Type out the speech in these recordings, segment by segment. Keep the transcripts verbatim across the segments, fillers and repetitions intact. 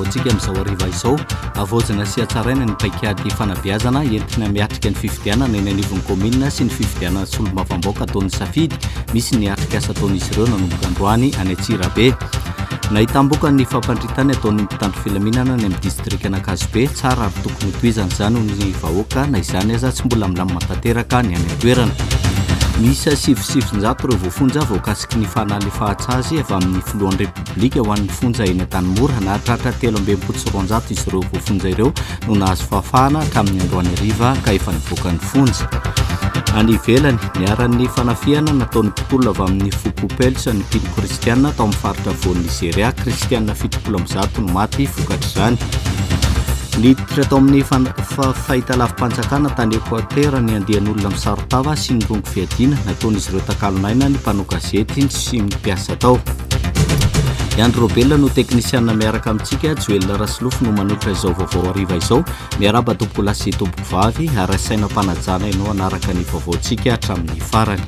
antsika amin'izao hariva izao. Havaozina sy hatsaraina ny paikady fanabeazana entina miatrika ny fifidianana eny anivon'ny kaominina sy ny fifidianana solombavambahoaka ataon'ny Safidy. Misy ny atrikasa ataon'izy ireo nanomboka androany any Antsirabe. Nahitam-boka ny fampandritany ataon'ny mpitandro filaminana any amin'ny distrikan'Ankazobe. Tsara ary tokony hotohizana izany hoy ny vahoaka, na izany aza tsy mbola milamina tanteraka ny any an-toerana. Miisa sivy sy sivinjato ireo voafonja voakasiky ny fanalefahan-tsazy avy amin'ny filohan'ny Repoblika ho an'ny fonja eny Antanimora. Nahatratra telo amby enimpolo sy roanjato izy ireo voafonja ireo no nahazo fahafahana hatramin'ny androany hariva ka efa nivoaka ny fonja. Any ivelany, niharan'ny fanafihana nataon'ny mpitolona avy amin'ny foko Pels ny mpino kristiana tao amin'ny faritra afovoan'i Nizeria. Kristiana fitopolo amby zato no maty vokatr'izany. Niditra tao amin'ny fahitalavi-panjakana tany Ekoatera ny andian'olona misaron-tava sy nirongo fiadiana. Nataon'izy ireo takalon'aina ny mpanao gazety sy ny mpiasa tao. I Andry Robelina no teknisiana miaraka amintsika, Joel Rasolofo no manolotra izao vaovao hariva izao. Miarahaba tompokolahy sy tompokovavy ary asaina am-panajana ianao hanaraka ny vaovaontsika hatramin'ny farany.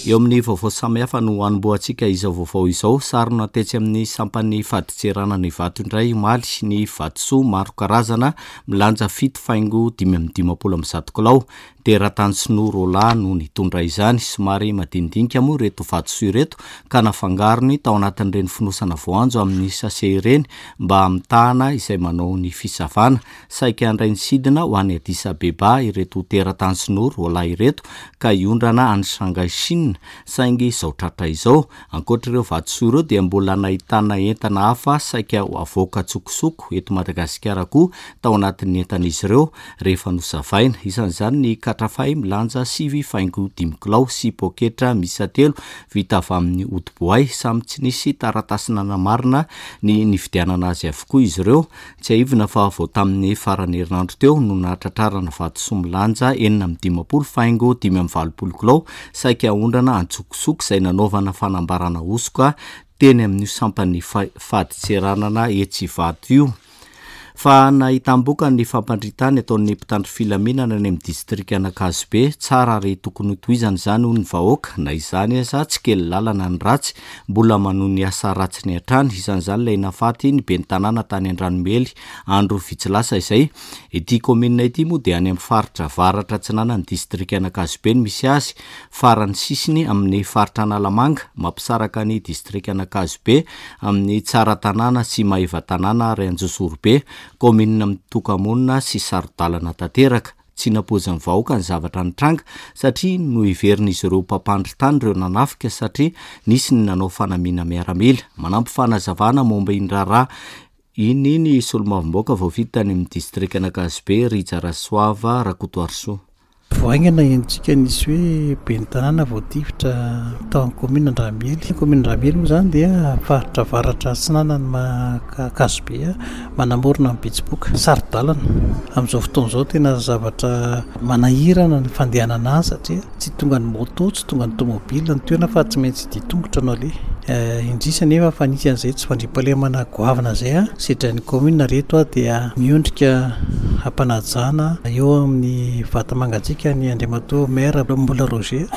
Eo amin'ny vaovao samihafa no hanombohantsika izao vaovao izao. Sarona tetsy amin'ny sampan'ny fadintseranana Ivato indray omaly ny vatosoa maro karazana milanja fito faingo dimy amby dimampolo amby zato kilao. Teratany sinoa roalahy no nitondra izany. Somary madinidinika moa ireto vatosoa ireto ka nafangarony tao anatin'ireny fonosana voanjo amin'ny sase ireny mba hamitahana izay manao ny fisavana. Saika handray ny sidina ho any Addis Abeba ireto teratany sinoa roalahy ireto ka hiondrana any Shanghai Chine, saingy izao tratra izao. Ankoatra ireo vatosoa ireo dia mbola nahitana entana hafa saika ho avoaka an-tsokosoko eto Madagasikara koa tao anatin'ny entan'izy ireo rehefa nosavaina. Isan'izany ny katrafay milanja sivy faingo dimy kilao sy poketra miisa telo vita avy amin'ny hodi-boay. Samy tsy nisy taratasy nanamarina ny nividianana azy avokoa izy ireo. Tsiahivina fa vao tamin'ny faran'ny herinandro teo no nahatratrarana vatosoa milanja enina amby dimampolo faingo dimy amby valopolo kilao saika aondrana an-tsokosoko izay nanaovana fanambarana hosoka teny amin'io sampan'ny fadintseranana etsy Ivato io. Fa nahitam-boka ny fampandritany ataon'ny mpitandro filaminana any amin'ny distrikan'Ankazobe. Tsara ary tokony hotohizana izany hoy ny vahoaka, na izany aza tsy kely lalana ny ratsy, mbola manohy ny asa ratsiny hatrany. Isan'izany ilay nahafaty ny ben'ny tanàna tany Andranomely andro vitsy lasa izay. Ity kaominina ity moa dia any amin'ny faritra avaratra atsinanan'ny distrikan'Ankazobe no misy azy, farany sisiny amin'ny faritra Analamanga, mampisaraka ny distrikan'Ankazobe amin'ny Tsaratanàna sy Maevatanàna ary Anjozorobe, kaominina mitoka-monina sy saro-dalana tanteraka. Tsy nampoizin'ny vahoaka ny zavatra nitranga satria noheverin'izy ireo mpampandry tany ireo nanafika satria nisy ny nanao fanamiana miaramila. Manampy fanazavana momba iny raharaha iny ny solombavambahoaka voafidy tany amin'ny distrikan'Ankazobe, Rija Rasoava Rakotoarisoa. Vao haingana henontsika nisy hoe ben'ny tanàna voatifitra tao amin'ny kaominina Andranomely. Kaominina Andranomely moa izany dia faritra avaratra atsinanan'ny Ankazobe, manamorona ny Betsiboka, saro-dalana. Amin'izao fotoana izao tena zavatra manahirana ny fandehanana any satria tsy tonga ny moto, tsy tonga ny tomobile ny toerana fa tsy maintsy dia tongotra no aleha. Indrisy anefa fa nisy an'izay tsy fandriampahalemana goavana izay sedrain'ny kaominina reto dia miondrika ampanajana eo amin'ny vata mangatsiaka ny Andriamatoa maire Mbola Roger.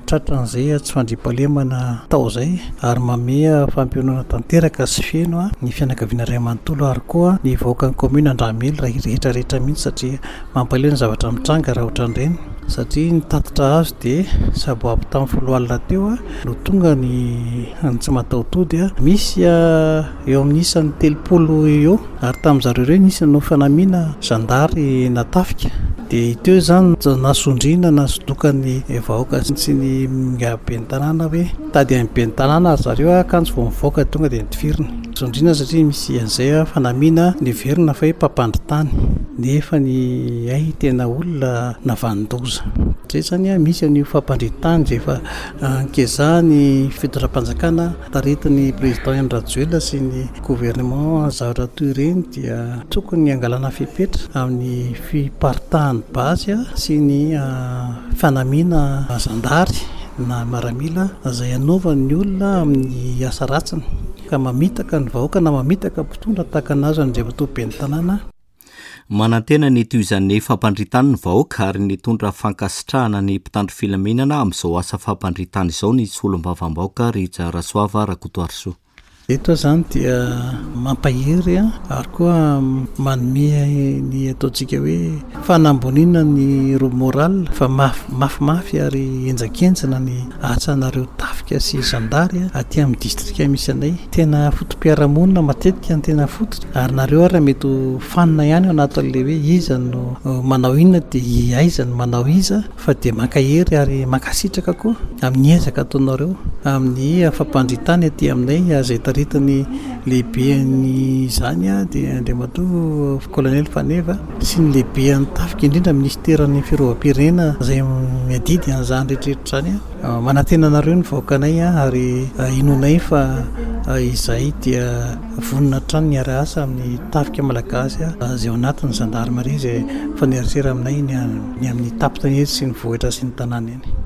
Tratran'izay tsy fandriampahalemana tao izay ary manome fampiononana tanteraka sy feno ny fianakaviana iray manontolo ary koa ny vahoakan'ny kaominina Andranomely raha rehetra rehetra mihitsy satria mampalahelo ny zavatra mitranga raha ohatran'ireny satria ny tatitra azo dia sabo avy tamin'ny folo alina teo no tonga ny tsy mataho-tody. Misy eo amin'ny isan'ny telopolo eo ary tamin'izareo ireo nisy nanao fanamiana zandary natafika dia teo izany nasondriana nasodokan'ny vahoaka sy ny ben'ny tanàna hoe tady amin'ny ben'ny tanàna ary zareo akanjo vao mivoaka tonga dia nitifirina. Sondriana satria misy an'izay fanamiana niverina fa hoe mpampandry tany nefa ny hay tena olona navanon-doza. Izay izany misy an'io fampandritany izay efa ankezahan'ny fitondram-panjakana taritin'ny président Andry Rajoelina sy ny gouvernement. Zavatra toy ireny dia tokony hangalana fepetra amin'ny fiparitahan'ny basy sy ny fanamiana zandary na miaramila izay anaovan'ny olona amin'ny asa ratsiny ka mamitaka ny vahoaka na mamitaka mpitondra tahaka anazy Andriamatoa ben'ny tanàna. Manantena ny tohizan'ny fampandritany ny vahoaka ary nitondra fankasitrahana ny mpitandro filaminana amin'izao asa fampandritany izao ny solombavambahoaka Rija Rasoava Rakotoarisoa. Eto izany dia mampahery ary koa manome ny ataontsika hoe fanamboniana ny moral fa mafimafy ary henjakenjana ny asanareo tafika sy zandary aty amin'ny distrika misy anay. Tena foto-piarahamonina matetika ny tena fototra ary nareo ary mety ho fanina ihany ao anatin'ilay hoe iza no manao inona dia aiza no manao iza, fa dia mankahery ary mankasitraka koa amin'ny ezaka ataonareo amin'ny fampandritany aty aminay izay taritany lehibe izany dia Andriamatoa Colonel Faneva sy ny lehibe an'ny tafika indrindra ministeran'ny fiarovam-pirenena izay miadidy an'izany rehetrarehetra izany. Manantena anareo ny vahoakanay ary inoanay fa izay dia vonona hatrany ny hiara-hiasa amin'ny tafika malagasy izay ao anatin'ny gendarmerie izay mifanerasera aminay ny amin'ny tampon-tanety sy ny vohitra sy ny tanàna eny.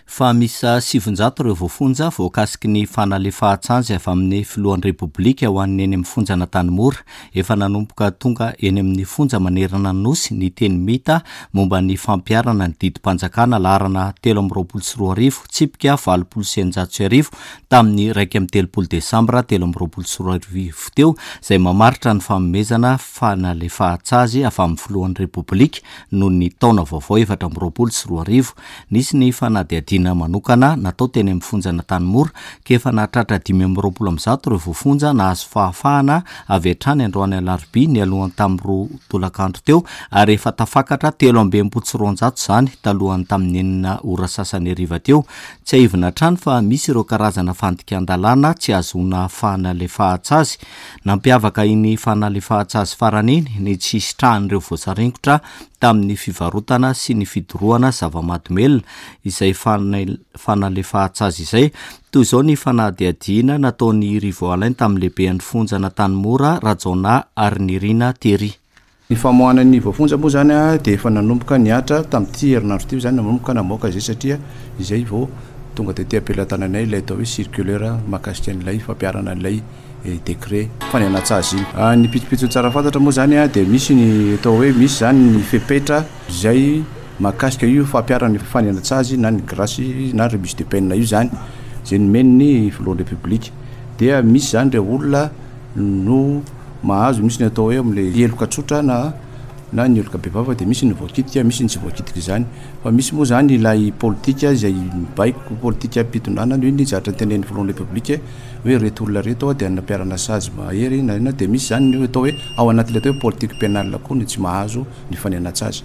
Fa miisa sivinjato ireo voafonja voakasiky ny fanalefahan-tsazy avy amin'ny filohan'ny Repoblika ho an'ny eny amin'ny fonja Antanimora. Efa nanomboka tonga eny amin'ny fonja manerana ny nosy ny teny mita momba ny fampiharana ny didim-panjakana laharana telo amby roapolo sy roa arivo tsipika valopolo sy eninjato sy arivo tamin'ny iraika amby telopolo desambra telo amby roapolo sy roa arivo teo, izay mamaritra ny fanomezana fanalefahan-tsazy avy amin'ny filohan'ny Repoblika noho ny taona vaovao efatra amby roapolo sy roa arivo. Nisy ny fanadihadiana manokana natao teny amin'ny fonja Antanimora ka efa nahatratra dimy amby roapolo amby zato ireo voafonja nahazo fahafahana avy hatrany androany alarobia nialohan'ny tamin'ny roa tolakandro teo, ary efa tafakatra telo amby enimpolo sy roanjato izany talohan'ny tamin'ny enina ora sasany hariva teo. Tsiahivina hatrany fa misy ireo karazana fandikan-dalàna tsy ahazoana fanalefahan-tsazy. Nampiavaka iny fanalefahan-tsazy farany iny ny tsy hisitrahan'ireo voasaringotra tamin'ny fivarotana sy ny fidorohana zava-mahadomelina izay fanalefahan-tsazy izay. Toy izao ny fanadihadiana nataon'i Rivo Alain tamin'ny lehiben'ny fonja Antanimora, Rajaonah Arinirina Tery. Ny famoahana ny voafonja moa zany dia efa nanomboka nihatra tamin'ity herinandro ity zany, nanomboka namoaka izay satria izay vao tonga tety am-pelatananay ilay atao hoe circulaire mahakasika an'ilay fampiharana an'ilay décret fanena-tsazy iny. Ny pitsopitsony tsara fantatra moa zany dia misy ny atao hoe misy zany ny fepetra izay mahakasika io fampiharana ny fanena-tsazy na ny grâce na remise de peine io zany izay nomen'ny filohan'ny Repoblika. Dia misy zany ireo olona no mahazo, misy ny atao hoe amin'ilay heloka tsotra na na ny heloka bevava, dia misy ny voakitika, misy ny tsy voakitika izany. Fa misy moa zany ilay politika izay mibaiko politika mpitondrana io ny zavatra notenenin'ny filohan'ny Repoblika hoe reto olona reto dia nampiharana sazy mahery na inona, dia misy zany ny atao hoe ao anatin'ilay atao hoe politique pénale koa no tsy mahazo ny fanena-tsazy.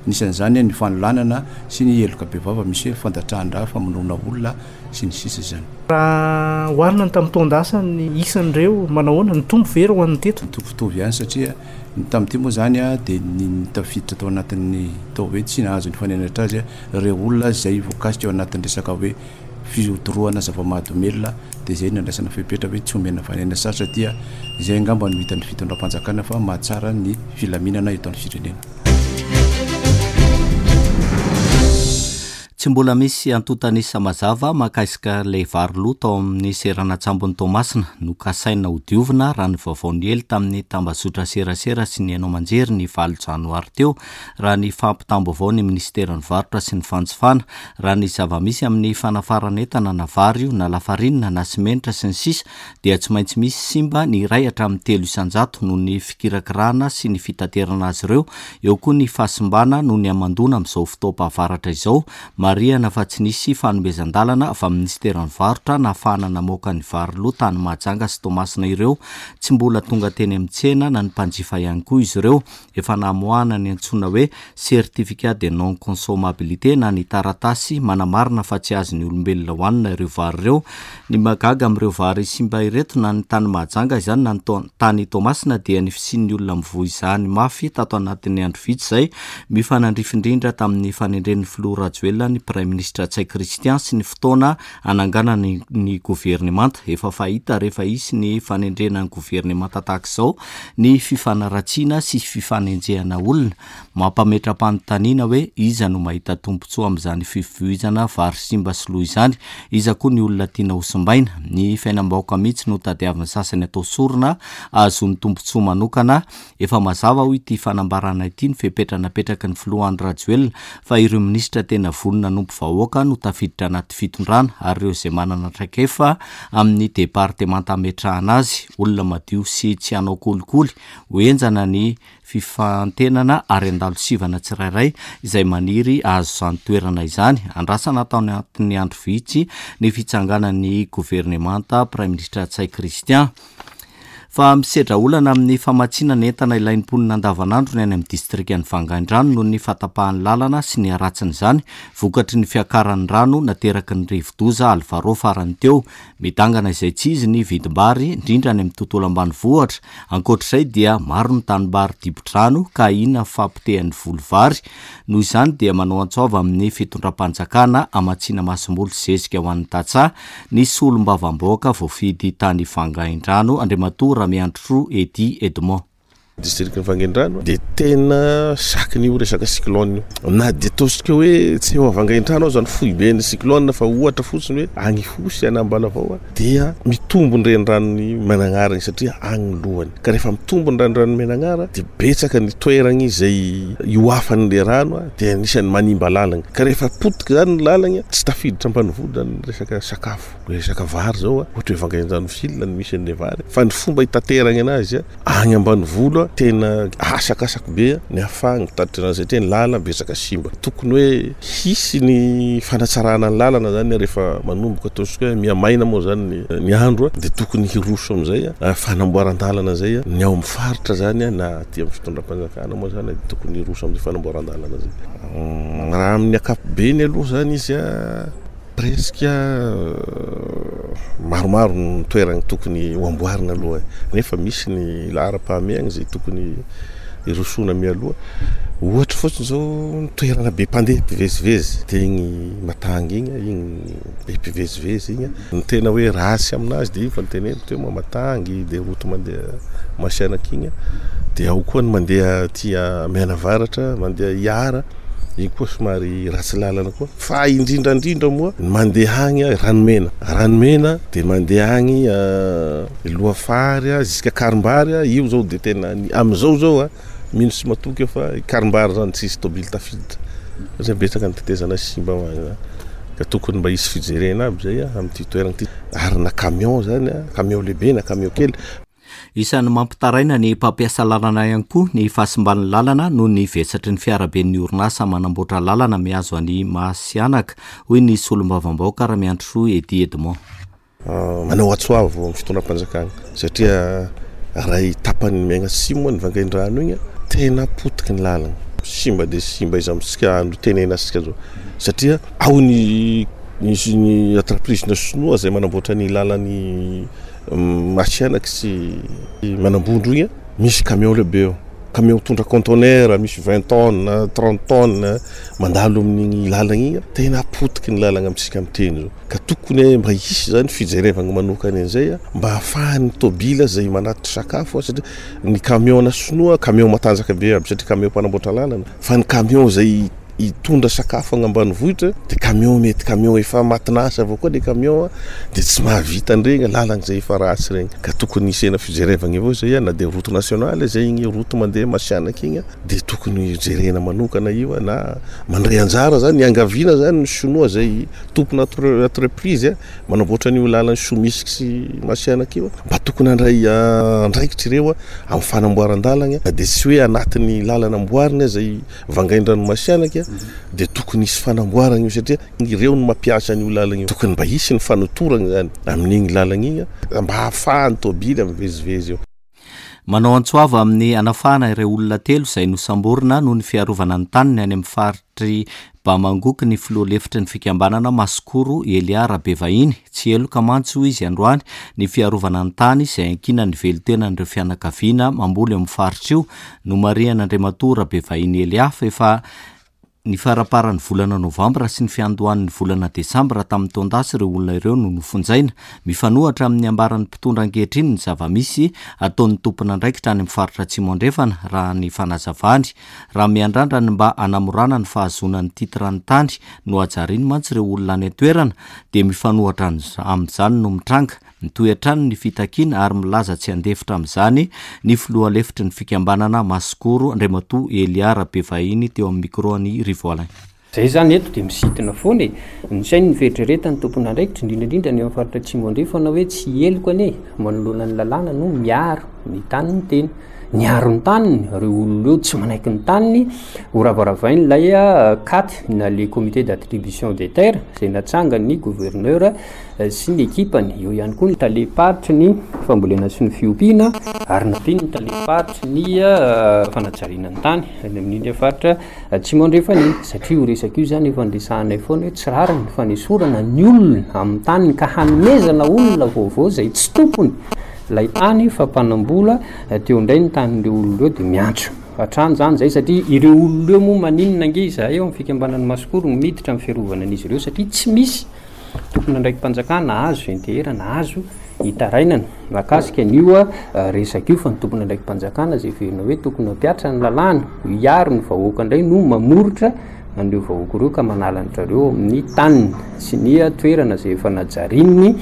Nisan'izany ny fanolanana sy ny heloka bevava, misy hoe fandatrahan-drà, famonoana olona sy ny sisa izany. Raha oharina ny tamin'ny taon-dasa ny isan'ireo manao ahoana, nitombo ve raha ho an'ny teto? Mitovitovy ihany satria ny tamin'ity moa zany dia ny tafiditra tao anatin'ny atao hoe tsy nahazo ny fanenatra azy ireo olona izay voakasika ao anatin'ny resaka hoe fidorohana zava-mahadomelina, dia izay no nandraisana fepetra hoe tsy omena fanenatra satria izay angamba no hitan'ny fitondram-panjakana fa mahatsara ny filaminana eto amin'ny firenena. Tsy mbola misy antontan'isa mazava mahakasika ilay vary lo tao amin'ny seranan-tsambon'i Toamasina nokasaina hodiovina raha ny vaovao niely tamin'ny tambazotra serasera sy ny haino aman-jery ny valo janoary teo, raha ny fampitam-baovao ny ministeran'ny varotra sy ny fanjifana. Raha ny zava-misy amin'ny fanafaran'entana na vary io na lafarinina na simenitra sy ny sisa dia tsy maintsy misy simba ny iray hatramin'ny telo isan-jato noho ny fikirakirana sy ny fitaterana azy ireo. Eo koa ny fahasimbana noho ny hamandoana amin'izao fotoam-pahavaratra izao. Marihana fa tsy nisy fanomezan-dalana avy amin'ny ministeran'ny varotra nahafahana namoaka ny vary lo tany Mahajanga sy Toamasina ireo. Tsy mbola tonga teny amin'ny tsena na ny mpanjifa ihany koa izy ireo. Efa namoahana ny antsoina hoe certificat de non consommabilité na ny taratasy manamarina fa tsy azon'ny olombelona hohanina ireo vary ireo. Ny mahagaga amin'ireo vary simba ireto na ny tany Mahajanga izany na ny tany Toamasina dia ny fisian'ny olona mivoy izany mafy tato anatin'ny andro vitsy izay mifanandrify indrindra tamin'ny fanendren'ny filoha Rajoelina ny Praiminisitra Ntsay Christian sy ny fotoana hananganana ny governemanta. Efa fahita rehefa hisy ny fanendrena ny governemanta tahaka izao ny fifanaratsiana sy fifanenjehana olona. Mampametra-panontaniana hoe iza no mahita tombontsoa amin'izany fivoizana vary simba sy lo izany, iza koa ny olona tiana ho simbaina. Ny fiainam-bahoaka mihitsy no tadiavin'ny sasany atao sorona ahazoany tombontsoa manokana. Efa mazava hoy ity fanambarana ity ny fepetra napetraky ny filoha Andry Rajoelina fa ireo minisitra tena vonona nanompo vahoaka no tafiditra anaty fitondrana ary ireo izay manana traikefa amin'ny departemanta ametrahana azy, olona madio sy tsy hanao kolikoly, ho henjana ny fifantenana ary handalo sivana tsirairay izay maniry hahazo izany toerana izany. Andrasana tao anatin'ny andro vitsy ny fitsanganan'ny governemanta Praiminisitra Ntsay Christian. Fa misedra olana amin'ny famatsiana ny entana ilain'ny mponina andavanandro ny any amin'ny distrikan'i Vangaindrano noho ny fahatapahan'ny lalana sy ny haratsin'izany vokatry ny fiakaran'ny rano nateraky ny rivodoza Alvaro farany teo. Midangana izay tsy izy ny vidim-bary, indrindra any amin'ny tontolo ambanivohitra. Ankoatr'izay dia maro ny tanimbary dibo-drano ka ahiana fahapotehan'ny voly vary. Noho izany dia manao antso avo amin'ny fitondram-panjakana hamatsiana masomboly zezika ho an'ny tantsaha ny solombavambahoaka voafidy tany Vangaindrano, Andriamatoa Ramiandrisoa Eddy Edmond. Distrikan'i Vangaindrano dia tena sakin'io resaka cyclone io. Na dia ataontsika hoe tsy eo Vangaindrano aza ny foiben'ny cyclone fa ohatra fotsiny hoe any Ihosy any Ambalavao dia mitombo ny reniranon'i Mananara igny satria agny ny lohany. Ka rehefa mitombo ny reniranon'i Mananara dia betsaka ny toeragny izay iohafan'le rano dia anisan'ny manimba lalagna. Ka rehefa potika zany ny lalagna tsy tafiditra ambanivolo zany ny resaka sakafo. Resaka vary zao ohatra hoe Vangaindrano ville no misy an'le vary fa ny fomba hitateragna anazy agny ambanivolo tena asakasako be ny ahafahana mitatitra anazy satria ny lalana betsaka simba. Tokony hoe hisy ny fanatsarana ny lalana zany rehefa manomboka ataontsika hoe mihamaina moa zany ny andro dia tokony hiroso amin'izay fanamboaran-dalana zay ny ao amin'ny faritra zany na aty amin'ny fitondram-panjakana moa zany dia tokony hiroso amin'izay fanamboaran-dalana zay. Raha amin'ny ankapobeny aloha zany izy presque maromaro ny toerana tokony ho amboarina aloha nefa misy ny laharam-pahamehana izay tokony hirosoana mialoha. Ohatra fotsiny zao ny toerana be mpandeha mpivezivezy dia igny Matangy igny, igny be mpivezivezy igny. Ny tena hoe ratsy aminazy dia iny fa niteneniko teo Matangy dia route mandeha Masianaka igny dia ao koa ny mandeha aty Mianavaratra mandeha Iara. Iny koa somary ratsy lalana koa fa indrindra indrindra moa ny mandeha agny Ranomena. Ranomena dia mandeha agny Lohafary jusqu'à Karimbary io zao dia tena amin'izao zao a mino sy matoky fa Karimbary zany tsisy tôbily tafiditra satria betsaka ny tetezana simba ho agny ka tokony mba hisy fijerena aby zay amin'ity toerana ity ary na camion zany camion lehibe na camion kely. Isan'ny mampitaraina ny mpampiasa lalana ihany koa ny fahasimban'ny lalana noho ny vesatry ny fiaraben'ny orinasa manamboatra lalana mihazo an'i Masianaka, hoy ny solombavambahoaka Ramiandrisoa Eddy Edmond. Manao antso avo amin'ny fitondram-panjakana satria raha tapany miagnasimo ny Vangaindrano igny tena potiky ny lalana, simba dia simba izy amintsika no tenenasika zao satria ao ny misy ny entreprise sinoa izay manamboatra ny lalany Masianaka sy Manambondro igny misy camion lehibe eo, camion mitondra conteneur misy vingt tonnes, trente tonnes mandalo amin'igny lalana igny tena potiky ny lalana amintsika miteny zao ka tokony mba hisy zany fijerevana manokana an'izay mba ahafahan'ny tôbila izay manatitra sakafo satria ny camion na sinoa camion matanjaka be aby satria camion mpanamboatra lalana fa ny camion izay hitondra sakafo agny ambanivohitra dia camion mety camion efa matinasa avao koa le camion dia tsy mahavita an'iregny lalana izay efa ratsy regny ka tokony hisiana fijerevana avao zay na dia route nationale zay igny route mandeha Masianaka igny dia tokony jerena manokana io na mandray anjara zany iangaviana zany ny sinoa zay tompona entreprise manamboatra an'io lalana Somisy sy Masianaka io mba tokony handray andraikitra ireo amin'ny fanamboaran-dalana dia tsy hoe anatin'ny lalana amboarina zay Vangaindrano Masianaka dia tokony hisy fanamboarana io satria ireo no mampiasa an'io lalana io. Tokony mba hisy ny fanotorana zany amin'igny lalana igny mba ahafahan'ny tôbily mivezivezy eo. Manao antso avo amin'ny hanafahana ireo olona telo izay nosamborina noho ny fiarovana ny taniny any amin'ny faritry Bamangoky ny filoha lefitry ny fikambanana Masikoro Elia Rabevahiny. Tsy heloka mantsy hoy izy androany ny fiarovana ny tany izay ankinan'ny velon-tenan'ireo fianakaviana mamboly amin'ny faritra io. Nomarihan'Andriamatoa Rabevahiny Elia fa efa ny faramparan'ny volana novambra sy ny fiandohan'ny volana desambra tamin'ny taon-dasa ireo olona ireo no nofonjaina. Mifanohitra amin'ny ambaran'ny mpitondra ankehitriny ny zava-misy ataon'ny tompon'andraikitra any amin'ny faritra Atsimo Andrefana raha ny fanazavany. Raha miandrandra ny mba hanamorana ny fahazoana ny titran'ny tany no hajariny mantsy ireo olona any an-toerana dia mifanohitra amin'izany no mitranga. Mitohy hatrany ny fitakiana ary milaza tsy handefitra amin'izany ny filoha lefitry ny fikambanana Masikoro Andriamatoa Elia Rabevahiny teo amin'ny micro an'i Rivo Alain. Zay izany eto dia misintona foana e! Ny sainy ny fieritreretan'ny tompon'andraikitra, indrindra indrindra ny eo amin'ny faritra Atsimo Andrefana hoe tsy heloka anie manoloana ny lalàna no miaro ny tanin'ny tena. Niaro ny taniny ireo olona ireo, tsy manaiky ny taniny ho ravaravain'ilay cat na le comité d'attribution des terres izay natsangan'ny gouverneur sy ny ekipany. Eo ihany koa ny talem-paritry ny fambolena sy ny fiompiana ary nampian'ny talem-paritry ny fanajariana ny tany any amin'iny faritra Atsimo Andrefana iny, satria io resaka io izany efa niresahanay foana hoe tsy rariny ny fanesorana ny olona amin'ny taniny ka hanomezana olona vaovao izay tsy tompony ilay tany fa mpanam-bola teo indray ny tanin'ireo olona ireo dia miantso hatrany izany izay satria ireo olona ireo moa maninona ange izahay ao amin'ny fikambanan'ny Masikoro no miditra amin'ny fiarovana an'izy ireo satria tsy misy tompon'andraiki-panjakana azo ianteherana azo itarainana mahakasika an'io resaka io fa ny tompon'andraiki-panjakana izay heverina hoe tokony hampihatra ny lalàna hiaro ny vahoaka indray no mamoritra an'ireo vahoaka ireo ka manala an-dry zareo amin'ny taniny sy ny toerana izay efa najarian'ny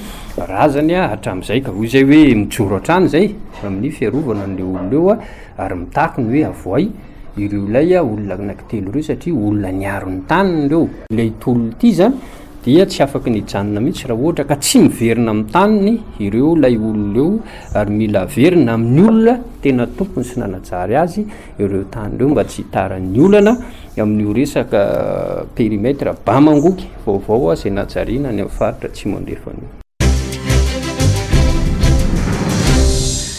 razany hatramin'izay ka hoy izay hoe mijoro hatrany izay amin'ny fiarovana an'ireo olona ireo ary mitaky ny hoe avoay ireo ilay olona anankitelo ireo satria olona niaro ny taniny ireo. Ilay tolona ity izany dia tsy afaky ny hijanona mihitsy raha ohatra ka tsy miverina amin'ny taniny ireo ilay olona ireo ary mila averina amin'ny olona tena tompony sy nanajary azy ireo tany ireo mba tsy hitaran'ny olana amin'io resaka périmètre Bamangoky vaovao izay najariana any amin'ny faritra Atsimo Andrefana io.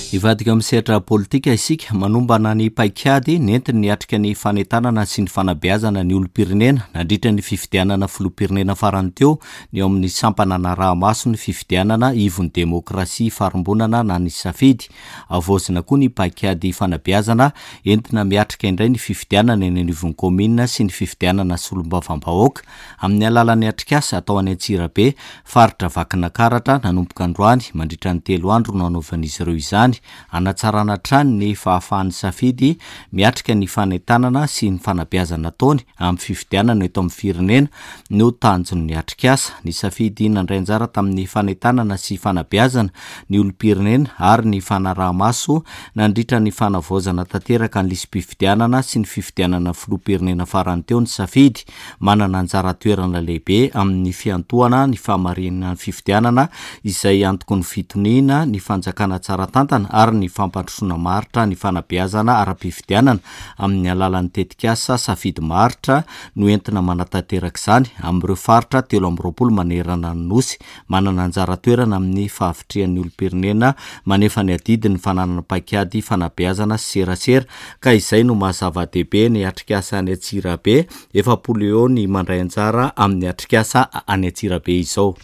Hivadika amin'ny sehatra politika isika, manombana ny paikady nentiny niatrika ny fanentanana sy ny fanabeazana ny olom-pirenena nandritra ny fifidianana filoham-pirenena farany teo ny ao amin'ny sampana anaraha-maso ny fifidianana ivon'ny demokrasia ifarimbonana na ny safidy. Havaozina koa ny paikady fanabeazana entina miatrika indray ny fifidianana eny anivon'ny kaominina sy ny fifidianana solombavambahoaka amin'ny alalan'ny atrikasa atao any Antsirabe, faritra Vakinakaratra, nanomboka androany. Mandritra ny telo andro no hanaovan'izy ireo izany, hanatsarana hatrany ny fahafahan'ny safidy miatrika ny fanentanana sy ny fanabeazana ataony amin'ny fifidianana eto amin'ny firenena no tanjon'ny atrikasa. Ny safidy nandray anjara tamin'ny fanentanana sy fanabeazana ny olom-pirenena ary ny fanaraha-maso nandritra ny fanavaozana tanteraka ny lisi-pifidianana sy ny fifidianana filoham-pirenena farany teo ny safidy manana anjara toerana lehibe amin'ny fiantohana ny fahamarinan'ny fifidianana izay antoky ny fitoniana, ny fanjakana tsara tantana ary ny fampandrosoana maharitra ny fanabeazana ara-pifidianana amin'ny alalan'ny tetikasa Safidy Maharitra no entina manatanteraka izany amin'ireo faritra telo amby roapolo manerana ny Nosy. Manana anjara toerana amin'ny fahavitrihan'ny olom-pirenena manefa ny adidy ny fananana paikady fanabeazana sy serasera ka izay no maha zava-dehibe ny atrikasa any Antsirabe. Efapolo eo ny mandray anjara amin'ny atrikasa any Antsirabe izao.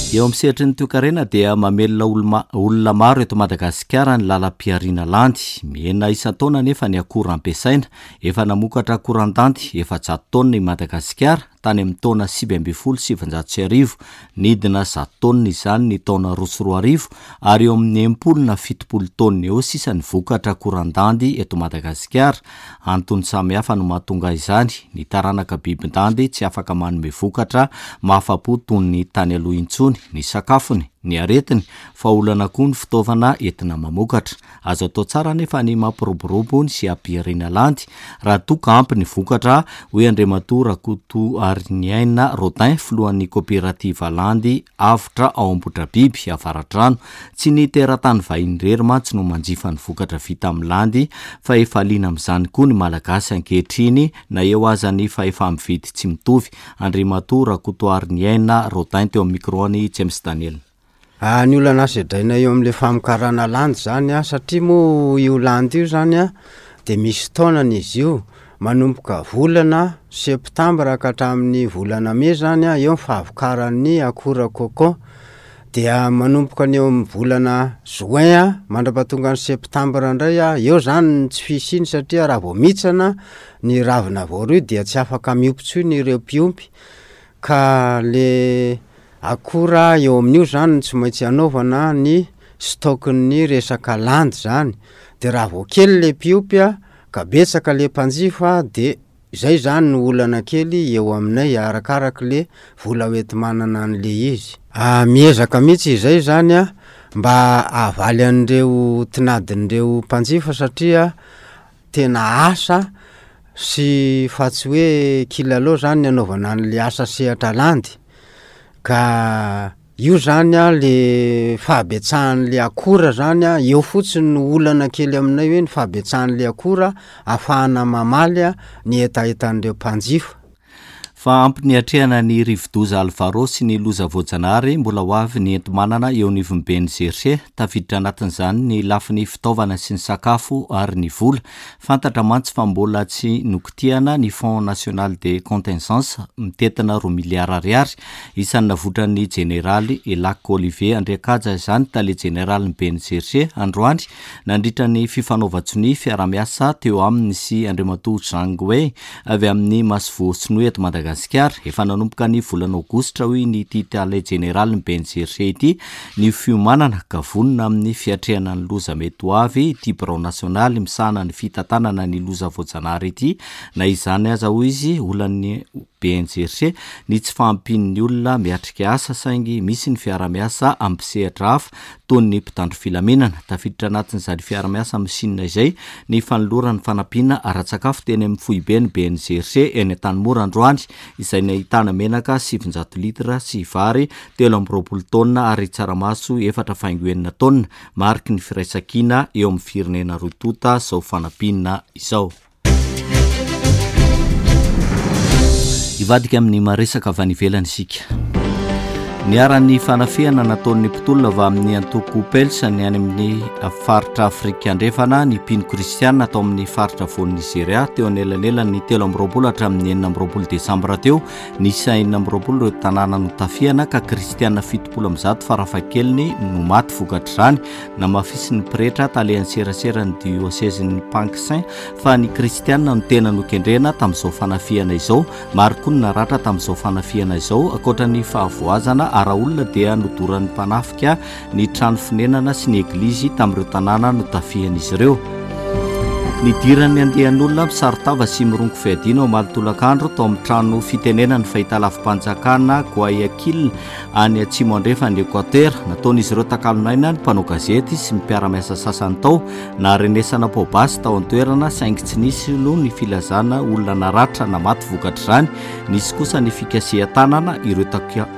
Eo amin'ny sehatry ny toekarena dia mamelona olona maro eto Madagasikara ny lalam-pihariana landy. Mihena isan-taona anefa ny akora ampiasaina. Efa namokatra akoran-dandy efajato taonina i Madagasikara tany amin'ny taona sivy ambin'ny folo sy sivinjato sy arivo. Nidina zato taonina izany ny taona roa sy roa arivo ary eo amin'ny enimpolo na fitopolo taonina eo sisa ny vokatra akoran-dandy eto Madagasikara. Antony samihafa no mahatonga izany. Ny taranaka bibin-dandy tsy afaka manome vokatra mahafa-po toy ny tany aloha intsony, ny sakafony, ny aretiny, fa olana koa ny fitaovana entina mamokatra. Azo atao tsara anefa ny mampiroborobo ny sy hampihariana landy raha toa ka ampy ny vokatra, hoy Andriamatoa Rakotoariniaina Rodin, filohan'ny koperativa Landy Avotra ao Ambohidrabiby, Avaradrano. Tsy ny teratany vahiny irery mantsy no manjifa ny vokatra vita amin'ny landy fa efa liana amin'izany koa ny Malagasy ankehitriny na eo aza ny fahefa-mividy tsy mitovy. Andriamatoa Rakotoariniaina Rodin teo amin'ny micro-n'i James Daniel. Ny olana sedraina eo amin'ilay famokarana landy zany a, satria moa io landy io zany a de misy taonany izy io, manomboka volana septambra ka hatramin'ny volana mey zany a eo ny fahavokaran'ny akora cocon, dia manomboka ny eo amin'ny volana juin a mandra-pahatonga ny septambra indray a eo zany ny tsy fisiany satria raha vao mihitsana ny ravina voaroy dia tsy afaka miompy intsony ireo mpiompy ka le akora eo amin'io zany tsy maintsy anaovana ny stock-n'ny resaka landy zany, de raha vao kely le mpiompy a ka betsaka le mpanjifa de zay zany no olana kely eo aminay arakaraky le vola hoenti-manana an'le izy. Miezaka mihitsy izay zany a mba hahavaly an'ireo tinadin'ireo mpanjifa satria tena asa sy fa tsy hoe kilalao zany ny anaovana an'le asa sehatra landy. Ka io zany a le fahabetsahan'le akora zany a, eo fotsiny no olana kely aminay hoe ny fahabetsahan'le akora ahafahana mamaly a ny hetahetan'ireo mpanjifa. Fa ampy niatrehana ny rivodoza Alvaro sy ny loza voajanahary mbola ho avy ny enti-manana eo anivon'ny B N G R C. Tafiditra anatin'izany ny lafiny fitaovana sy ny sakafo ary ny vola. Fantatra mantsy fa mbola tsy nokitihana ny Fonds national de contingence mitentina roa miliara ariary. Isan'ny navotran'ny jeneraly Elac Olivier Andriakaja izany, tale jeneraly ny B N G R C, androany nandritra ny fifanaovan-tsonia fiarahamiasa teo aminy sy Andriamatoa Zhang Wei avy amin'ny masoivoho sinoa eto Madagasikara. Efa nanomboka ny volana aogositra, hoy ny ity tale jeneraly ny B N G R C ity, ny fiomanana ka vonona amin'ny fiatrehana ny loza mety ho avy ity birao nasionaly misahana ny fitantanana ny loza voajanahary ity. Na izany aza, hoy izy, olan'ny B N G R C ny tsy fahampian'ny olona miatrika asa, saingy misy ny fiarahamiasa amin'ny mpisehatra hafa toy ny mpitandro filaminana. Tafiditra anatin'izany fiarahamiasa amin'ny Sina izay ny fanolorany fanampiana ara-tsakafo teny amin'ny foibe ny B N G R C eny Antanimora androany, izay nahitana menaka sivinjato litra sy vary telo amby roapolo taonina ary tsaramaso efatra faingo enina taonina. Mariky ny firaisankina eo amin'ny firenena roa tonta izao fanampiana izao. Hivadika amin'ny maresaka avy any ivelany isika. Niharan'ny fanafihana nataon'ny mpitolona avy amin'ny antoko Peuls ny any amin'ny faritra Afrika Andrefana ny mpino kristiana atao amin'ny faritra voan'ny Nigeria teo anelanelan'ny telo amby roapolo hatramin'ny enina amby roapolo desambra teo. Nisy enina amby roapolo ireo tanàna notafihana ka kristiana fitopolo amby zato farafahakeliny no maty vokatr'izany. Namafisin'ny pretra talehan'ny seraseran'ny diosezin'ny Pankshin fa ny kristiana no tena nokendrena tamin'izao fanafihana izao. Maro koa ny naratra tamin'izao fanafihana izao. Ankoatra ny fahavoazana ara-olona dia nodoran'ny mpanafika ny trano fonenana sy ny eglizy tamin'ireo tanàna notafihan'izy ireo. Nidiran'ny andian'olona misaron-tava sy mirongo fiadiana omaly tolakandro tao amin'ny trano fitenenany fahitalavi-panjakana Guayaquil any atsimo andrefan'ny Équateur. Nataon'izy ireo takalon'aina ny mpanao gazety sy mpiara-miasa sasany tao. Naharenesana poa-basy tao an-toerana, saingy tsy nisy aloha ny filazana olona naratra na maty vokatr'izany. Nisy kosa ny fikasihan-tanana ireo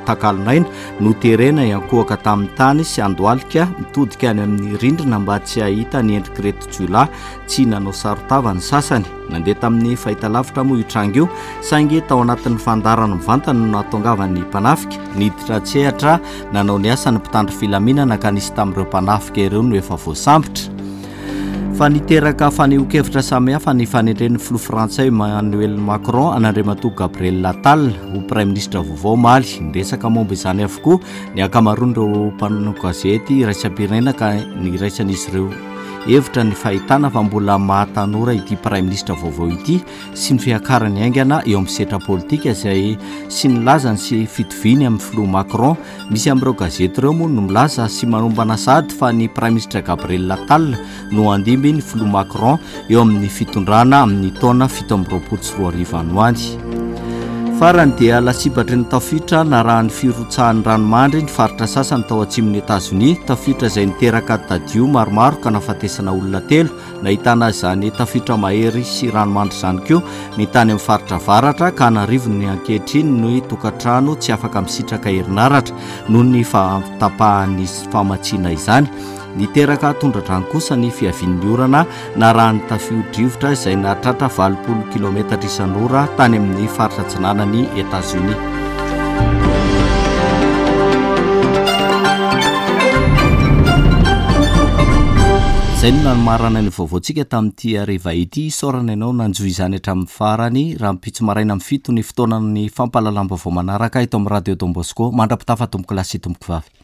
takalon'aina, noterena hiankohoka tamin'ny tany sy handohalika mitodika any amin'ny rindrina mba tsy hahita ny endrik'ireto jiolahy. Tsy nanao saron-tava ny sasany. Nandeha tamin'ny fahitalavitra moa io tranga io, saingy tao anatin'ny fandaharana mivantana no nahatongavan'ny mpanafika. Niditra an-tsehatra nanao ny asany mpitandro filaminana ka nisy tamin'ireo mpanafika ireo no efa voasambotra. Fa niteraka fanehoan-kevitra samihafa ny fanendren'ny filoha frantsay Emmanuel Macron an'Andriamatoa Gabriel Attal ho praiminisitra vaovao omaly. Niresaka momba izany avokoa ny ankamaroan'ireo mpanao gazety iraisam-pirenena ka niraisan'izy ireo hevitra ny fahitana fa mbola mahatanora ity praiminisitra vaovao ity sy ny fiakarany haingana eo amin'ny sehatra politika izay sy ny lazany sy fitoviany amin'ny filoha Macron. Misy amin'ireo gazety ireo moa no milaza sy manombana sady fa ny praiminisitra Gabriel Attal no handimby ny filoha Macron eo amin'ny fitondrana amin'ny taona fito amby roapolo sy roa arivo any ho any. Farany dia lasibatry ny tafiotra narahan'ny firotsahan'ny ranomandry ny faritra sasany tao atsimon'ny Etazonia, tafiotra izay niteraka tadio maromaro ka nahafatesana olona telo. Nahitana izany tafiotra mahery sy ranomandry izany koa ny tany amin'ny faritra avaratra, ka an'arivony ankehitriny ny tokantrano tsy afaka misitraka herinaratra noho ny fahatapahan'ny famatsiana izany. Niteraka tondradrano kosa ny fiavian'ny orana narahan'ny tafio-drivotra izay nahatratra valopolo kilometatra isan'ora tany amin'ny faritra atsinanan'ny Etazonia. Izay no nanomarana ny vaovaontsika tamin'ity hariva ity. Isaorana ianao nanjohy izany hatramin'ny farany. Rahampitso maraina amin'ny fito ny fotoanan'ny fampahalalam-baovao manaraka eto amin'ny Radio Don Bosco. Mandra-pitafa tompoko lahy sy tompoko vavy.